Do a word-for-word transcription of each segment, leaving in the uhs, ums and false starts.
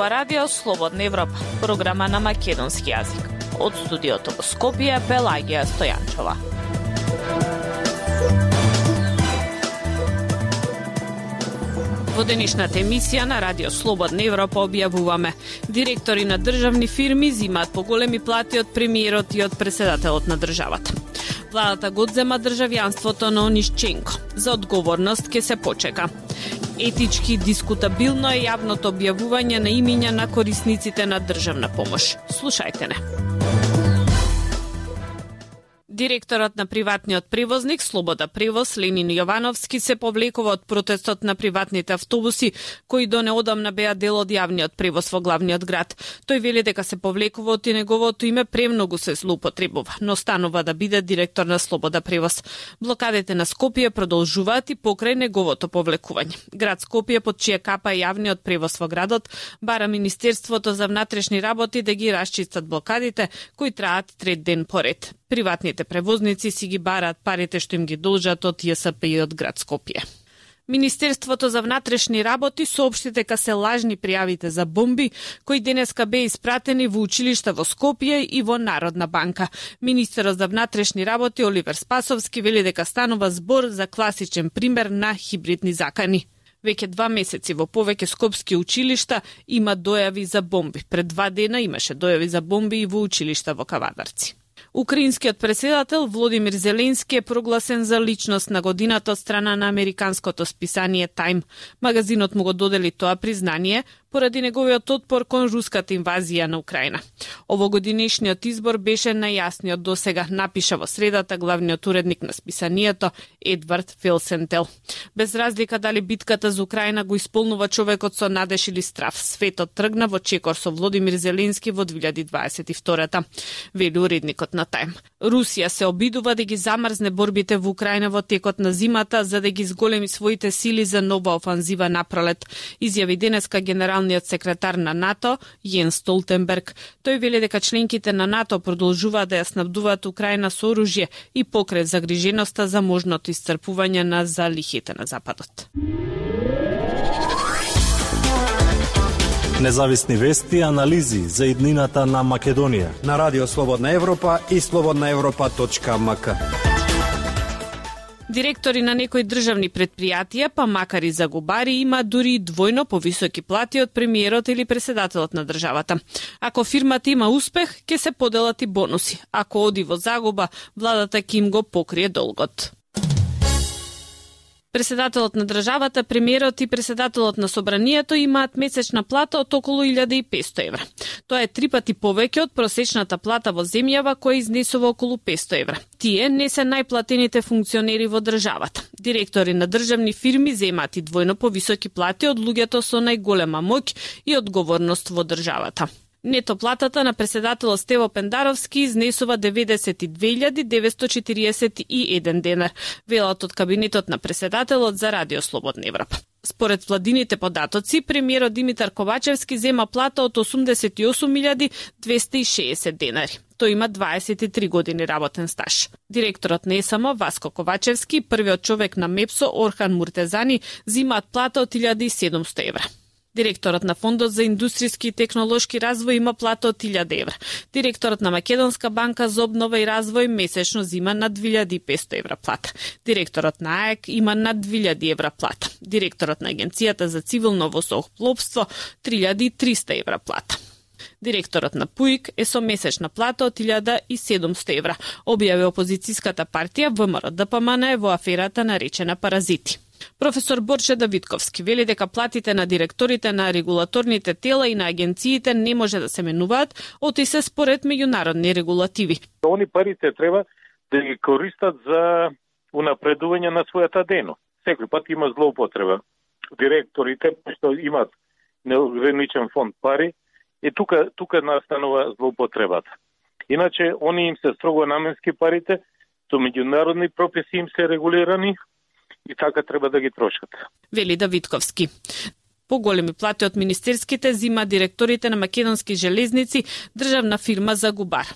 ова радио Слободна Европа, програма на македонски јазик. Од студиото во Скопје, Пелагија Стојанчова. Во денешната емисија на Радио Слободна Европа објавуваме: директори на државни фирми зимаат поголеми плати од премиерот и од председателот на државата. Владата го одзема државјанството на Онишченко. За одговорност ке се почека. Етички дискутабилно е јавното објавување на имиња на корисниците на државна помош. Слушајте не. Директорот на приватниот превозник Слобода Превоз Ленин Јовановски се повлекува од протестот на приватните автобуси, кои до неодамна беа дел од јавниот превоз во главниот град. Тој вели дека се повлекува од и неговото име премногу се злоупотребува, но станува да биде директор на Слобода Превоз. Блокадите на Скопје продолжуваат и покрај неговото повлекување. Град Скопје, под чија капа е јавниот превоз во градот, бара Министерството за внатрешни работи да ги расчистат блокадите, кои траат трет ден поред. Приватните превозници си ги бараат парите што им ги должат од ЈСП и од град Скопје. Министерството за внатрешни работи соопшти дека се лажни пријавите за бомби кои денеска беа испратени во училишта во Скопје и во Народна банка. Министерот за внатрешни работи Оливер Спасовски вели дека станува збор за класичен пример на хибридни закани. Веќе два месеци во повеќе скопски училишта има дојави за бомби. Пред два дена имаше дојави за бомби и во училишта во Кавадарци. Украинскиот председател Володимир Зеленски е прогласен за личност на годината од страна на американското списание Time. Магазинот му го додели тоа признание поради неговиот отпор кон руската инвазија на Украина. Овогодинешниот избор беше најјасниот досега, напиша во средата главниот уредник на списанието Едвард Филсентел. Без разлика дали битката за Украина го исполнува човекот со надеж или страв, светот тргна во чекор со Володимир Зеленски во две илјади дваесет и втора, вели уредникот на Time. Русија се обидува да ги замрзне борбите во Украина во текот на зимата за да ги зголеми своите сили за нова офанзива напролет, изјави денеска генералниот секретар на НАТО Јенс Столтенберг. Тој вели дека членките на НАТО продолжуваат да ја снабдуваат Украина со оружје и покрај загриженоста за можното исцрпување на залихите на Западот. Независни вести и анализи за иднината на Македонија на Радио Слободна Европа и слободна европа точка ем ка. Директори на некои државни предпријатија, па макар и загубари, има дури двојно повисоки плати од премиерот или председателот на државата. Ако фирмата има успех, ќе се поделат и бонуси. Ако оди во загуба, владата ќе им го покрие долгот. Председателот на државата, премиерот и председателот на собранието имаат месечна плата од околу илјада и песто евра. Тоа е три пати повеќе од просечната плата во земјава која изнесува околу песто евра. Тие не се најплатените функционери во државата. Директори на државни фирми земаат и двојно повисоки плати од луѓето со најголема моќ и одговорност во државата. Нето платата на председателот Стево Пендаровски изнесува деветдесет и две илјади деветсто четириесет и еден денар, велат од кабинетот на председателот за Радио Слободна Европа. Според владините податоци, премиерот Димитар Ковачевски зема плата од осумдесет и осум илјади двесте и шеесет денари. Тој има дваесет и три години работен стаж. Директорот на ЕСМ Васко Ковачевски и првиот човек на МЕПСО Орхан Муртезани зимаат плата од илјада и седумсто евра. Директорот на Фондот за индустријски и технолошки развој има плата од илјада евра. Директорот на Македонска банка за обнова и развој месечно зима над две илјади и песто евра плата. Директорот на АЕК има над две илјади евра плата. Директорот на Агенцијата за цивилно воздухопловство три илјади и триста евра плата. Директорот на ПУИК е со месечна плата од илјада и седумсто евра, објави опозицијската партија ВМРО Д П М Н во аферата наречена Паразити. Професор Борче Давидковски вели дека платите на директорите на регулаторните тела и на агенциите не може да се менуваат, оти се според меѓународни регулативи. Они парите треба да ги користат за унапредување на својата дејност. Секој пат има злоупотреба. Директорите што имаат неограничен фонд пари, и тука тука настанува злоупотребата. Иначе они им се строго наменски парите, со меѓународни прописи им се регулирани и така треба да ги трошат. Вели Давидковски. Поголеми плати од министерските зима директорите на Македонски железници, државна фирма Загубар.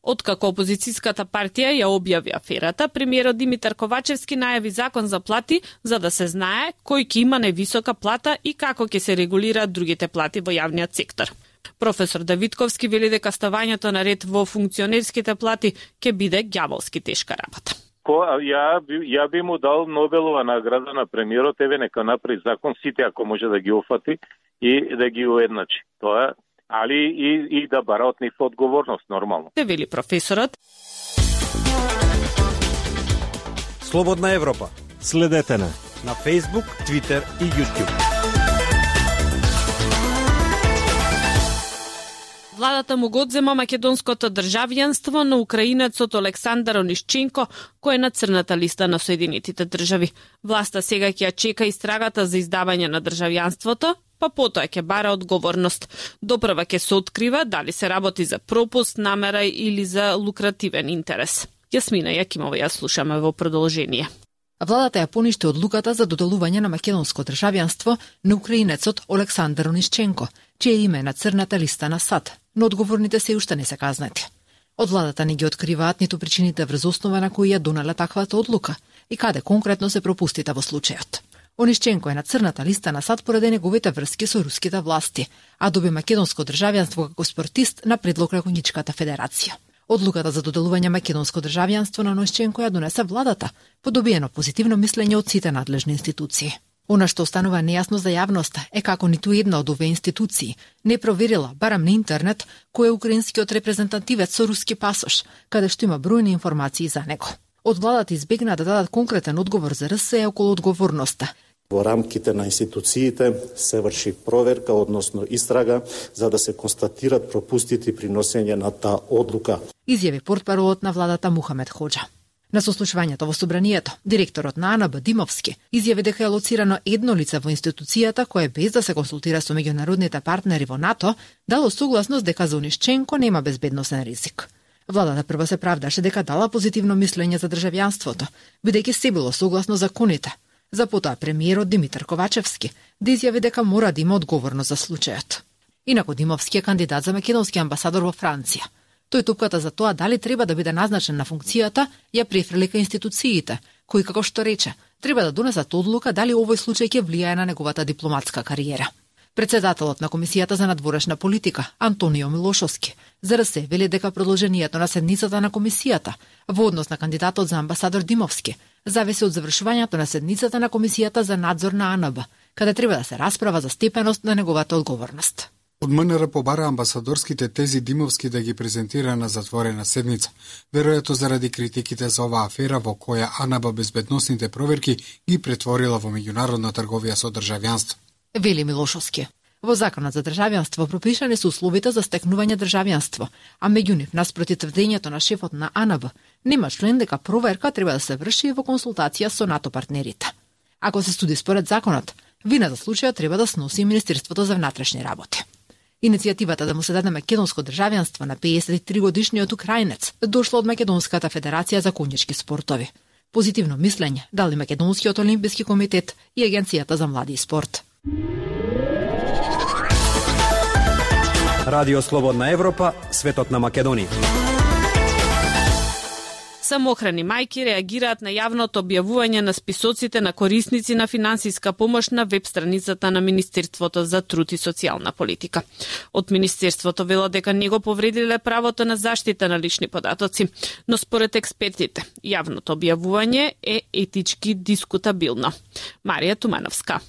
Откако опозицијската партија ја објави аферата, премиерот Димитар Ковачевски најави закон за плати за да се знае кој ќе има највисока плата и како ќе се регулираат другите плати во јавниот сектор. Професор Давидковски вели дека ставањето на ред во функционерските плати ќе биде ѓаволски тешка работа. Ко, ја, ја би му дал Нобелова награда на премиерот, еве нека направи закон сите ако може да ги офати и да ги уедначи. Тоа, али и, и да бара од нив одговорност нормално. Те вели професорот. Слободна Европа. Следете на на Facebook, Twitter и YouTube. Владата му го одзема македонското државјанство на украинецот Олександар Онишченко, кој е на црната листа на Соединетите држави. Власта сега ќе ја чека истрагата за издавање на државјанството, па потоа ќе бара одговорност. Допрва ќе се открива дали се работи за пропуст, намера или за лукративен интерес. Јасмина Јакимова ја слушаме во продолжение. Владата ја поништи одлуката за доделување на македонско државјанство на украинецот Олександар Онишченко, чие име е на црната листа на САД, но одговорните се уште не се казнати. Од владата не ги откриваат ниту причините врз основа на кои ја донела таквата одлука и каде конкретно се пропустите во случајот. Онишченко е на црната листа на САД поради неговите врски со руските власти, а доби македонско државјанство како спортист на предлог на Конјичката федерација. Одлуката за доделување македонско државјанство на Онишченко ја донесе владата, по добиено позитивно мислење од сите надлежни институции. Она што останува нејасно за јавноста е како ниту една од овие институции не проверила, барам на интернет, кој е украинскиот репрезентативец со руски пасош, каде што има бројни информации за него. Од владата избегна да дадат конкретен одговор за РСЕ околу одговорноста. Во рамките на институциите се врши проверка, односно истрага, за да се констатират пропустите при носење на таа одлука. Изјави портпаролот на владата Мухамед Хоџа. На сослушувањето во собранието, директорот на АНБ Димовски изјави дека е лоцирано едно лице во институцијата кое без да се консултира со меѓународните партнери во НАТО, дало согласност дека за Онишченко нема безбедносен ризик. Владата прво се правдаше дека дала позитивно мислење за државјанството, бидејќи се било согласно законите. За потоа премиерот Димитар Ковачевски да изјави дека мора да има одговорност за случајот. Инаку Димовски е кандидат за македонски амбасадор во Франција. Тој тупката за тоа дали треба да биде назначен на функцијата ја префрли ка институциите, кои како што рече, треба да донесат одлука дали овој случај ќе влијае на неговата дипломатска кариера. Председателот на Комисијата за надворешна политика, Антонио Милошовски, за РСЕ вели дека продолжението на седницата на Комисијата во однос на кандидатот за амбасадор Димовски зависи од завршувањето на седницата на Комисијата за надзор на АНБ, каде треба да се расправа за степеност на неговата одговорност. Од МНР побара амбасадорските тези Димовски да ги презентира на затворена седница, веројатно заради критиките за оваа афера во која АНБ безбедносните проверки ги претворила во меѓународна трговија со државјанство. Вели Милошовски. Во Законот за државјанство пропишани се условите за стекнување државјанство, а меѓу нив наспроти тврдењето на шефот на АНБ, нема член дека проверка треба да се врши во консултација со НАТО партнерите. Ако се суди според законот, вина за случајот треба да сноси Министерството за внатрешни работи. Иницијативата да му се даде македонско државјанство на пеесет и три годишниот украинец дошла од Македонската федерација за конјички спортови. Позитивно мислење дали Македонскиот олимписки комитет и Агенцијата за млади и спорт. Радио Слободна Европа, светот на Македонија. Самохрани мајки реагираат на јавното објавување на списоците на корисници на финансиска помош на веб страницата на Министерството за труд и социјална политика. Од Министерството велат дека не го повредиле правото на заштита на лични податоци, но според експертите, јавното објавување е етички дискутабилно. Марија Тумановска.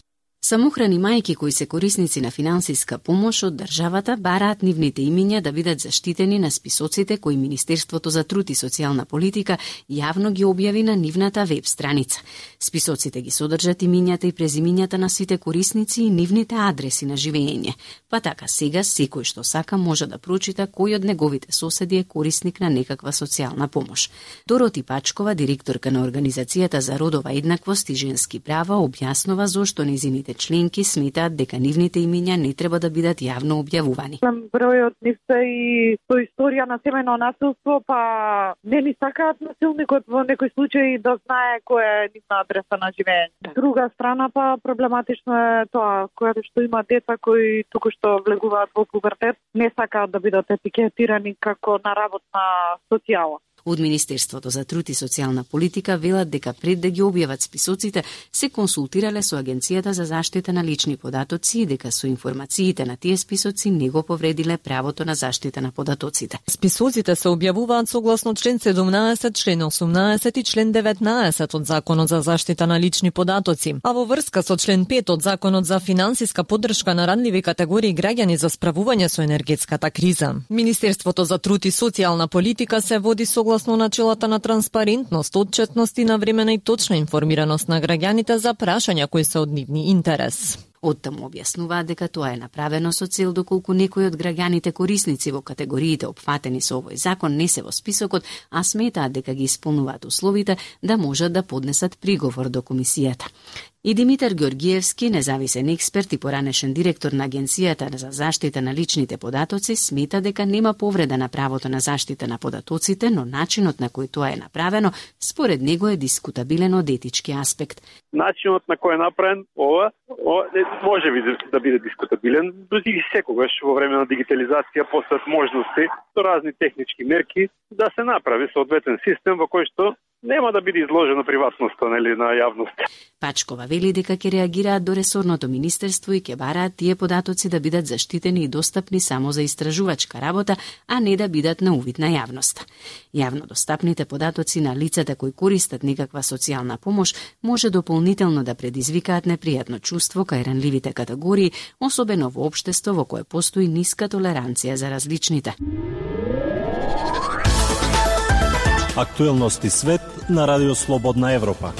Самохрани мајки кои се корисници на финансиска помош од државата бараат нивните имиња да бидат заштитени на списоците кои Министерството за труд и социјална политика јавно ги објави на нивната веб страница. Списоците ги содржат имињата и презимињата на сите корисници и нивните адреси на живење. Па така сега секој што сака може да прочита кој од неговите соседи е корисник на некаква социјална помош. Дороти Пачкова, директорка на Организацијата за родова еднаквост и женски права, објаснува зошто незините членки сметаат дека нивните имиња не треба да бидат јавно објавувани. Бројот нив се и со историја на семено насилство, па не ни сакаат насилникот во некој случај да знае која е нивна адреса на живење. Друга страна па проблематично е тоа, која што има деца кои туку што влегуваат во пубертет, не сакаат да бидат етикетирани како на работна социјала. Од Министерството за труд и социјална политика велат дека пред да ги објават списоците се консултирале со Агенцијата за заштита на лични податоци и дека со информациите на тие списоци не го повредиле правото на заштита на податоците. Списоците се објавуваат согласно член седумнаесет, член осумнаесет и член деветнаесет од Законот за заштита на лични податоци, а во врска со член пет од Законот за финансиска поддршка на ранливи категории граѓани за справување со енергетската криза. Министерството за труд и социјална политика се води согласно согласно начелата на транспарентност, отчетност и навремена и точна информираност на граѓаните за прашања кои се од нивни интерес. Оттаму објаснуваат дека тоа е направено со цел доколку некои од граѓаните корисници во категориите опфатени со овој закон не се во списокот, а сметаат дека ги исполнуваат условите да можат да поднесат приговор до комисијата. И Димитар Георгиевски, независен експерт и поранешен директор на Агенцијата за заштита на личните податоци, смета дека нема повреда на правото на заштита на податоците, но начинот на кој тоа е направено, според него е дискутабилен од етички аспект. Начинот на кој е направен ова, ова може би да биде дискутабилен, и секогаш во време на дигитализација постојат можности со разни технички мерки да се направи соодветен систем во кој што нема да биде изложено приватноста, нели, на јавност. Пачкова вели дека ќе реагираат до ресорното министерство и ќе бараат тие податоци да бидат заштитени и достапни само за истражувачка работа, а не да бидат на увид на јавноста. Јавно достапните податоци на лицата кои користат некаква социјална помош може дополнително да предизвикаат непријатно чувство кај ранливите категории, особено во општество во кое постои ниска толеранција за различните. Актуелности свет на Радио Слободна Европа.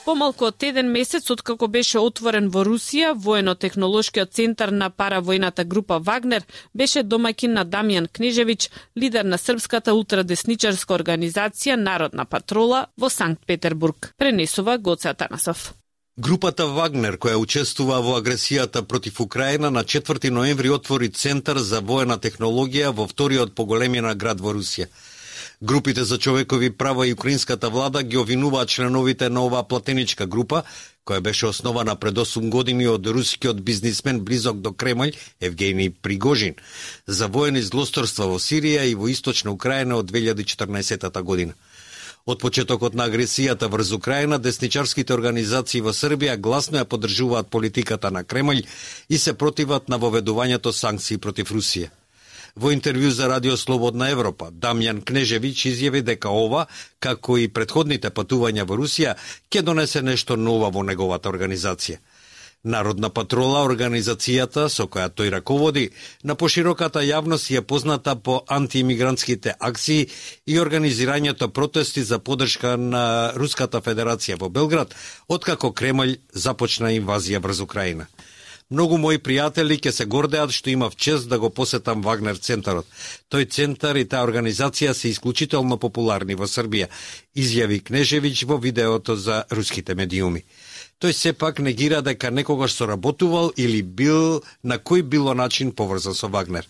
Помалку од еден месец откако беше отворен во Русија, воено-технолошкиот центар на паравојната група Вагнер беше домаќин на Дамјан Кнежевиќ, лидер на српската ултрадесничарска организација Народна патрола во Санкт Петербург. Пренесува Гоце Атанасов. Групата Вагнер, која учествува во агресијата против Украина, на четврти ноември отвори Центар за воена технологија во вториот по големина град во Русија. Групите за човекови права и украинската влада ги обвинуваат членовите на оваа платеничка група, која беше основана пред осум години од рускиот бизнисмен близок до Кремљ Евгений Пригожин, за воени злосторства во Сирија и во Источна Украина од две илјади и четрнаесетта година. Од почетокот на агресијата врз Украина, десничарските организации во Србија гласно ја поддржуваат политиката на Кремљ и се противат на воведувањето санкции против Русија. Во интервју за Радио Слободна Европа, Дамјан Кнежевиќ изјави дека ова, како и претходните патувања во Русија, ќе донесе нешто ново во неговата организација. Народна патрола, организацијата со која тој раководи, на пошироката јавност е позната по антиимигрантските акции и организирањето протести за поддршка на Руската Федерација во Белград, откако Кремљ започна инвазија врз Украина. Многу мои пријатели ќе се гордеат што имав чест да го посетам Вагнер центарот. Тој центар и таа организација се исклучително популарни во Србија, изјави Кнежевиќ во видеото за руските медиуми. Тој сепак негира дека некогаш соработувал или бил на кој било начин поврзан со Вагнер.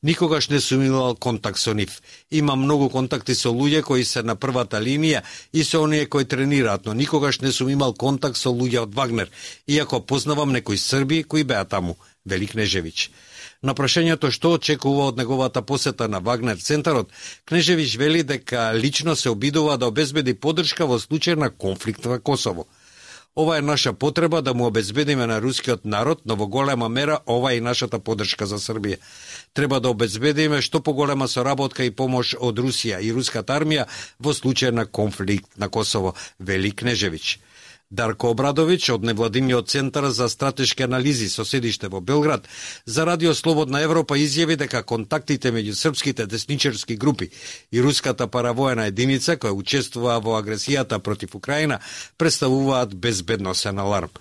Никогаш не сум имал контакт со нив. Има многу контакти со луѓе кои се на првата линија и со оние кои тренираат, но никогаш не сум имал контакт со луѓе од Вагнер, иако познавам некои срби кои беа таму, вели Кнежевиќ. На прашањето што очекува од неговата посета на Вагнер центарот, Кнежевиќ вели дека лично се обидува да обезбеди поддршка во случај на конфликт во Косово. Ова е наша потреба да му обезбедиме на рускиот народ, но во голема мера ова е и нашата поддршка за Србија. Треба да обезбедиме што поголема соработка и помош од Русија и руската армија во случај на конфликт на Косово, вели Кнежевиќ. Дарко Обрадовиќ од невладиниот центар за стратешки анализи со седиште во Белград за Радио Слободна Европа изјави дека контактите меѓу српските десничарски групи и руската паравоена единица која учествува во агресијата против Украина представуваат безбедносен аларм.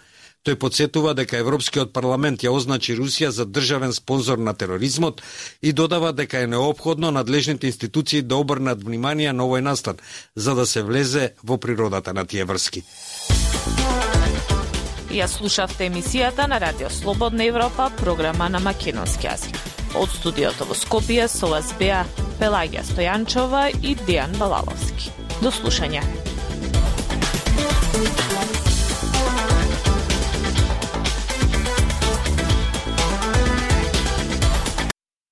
Тој подсетува дека Европскиот парламент ја означи Русија за државен спонзор на тероризмот и додава дека е неопходно надлежните институции да обрнат внимание на овој настан, за да се влезе во природата на тие врски. Ја слушавте емисијата на Радио Слободна Европа, програма на македонски јазик. Од студиото во Скопје со вас беа Пелагија Стојанчова и Дејан Балаловски. До слушање.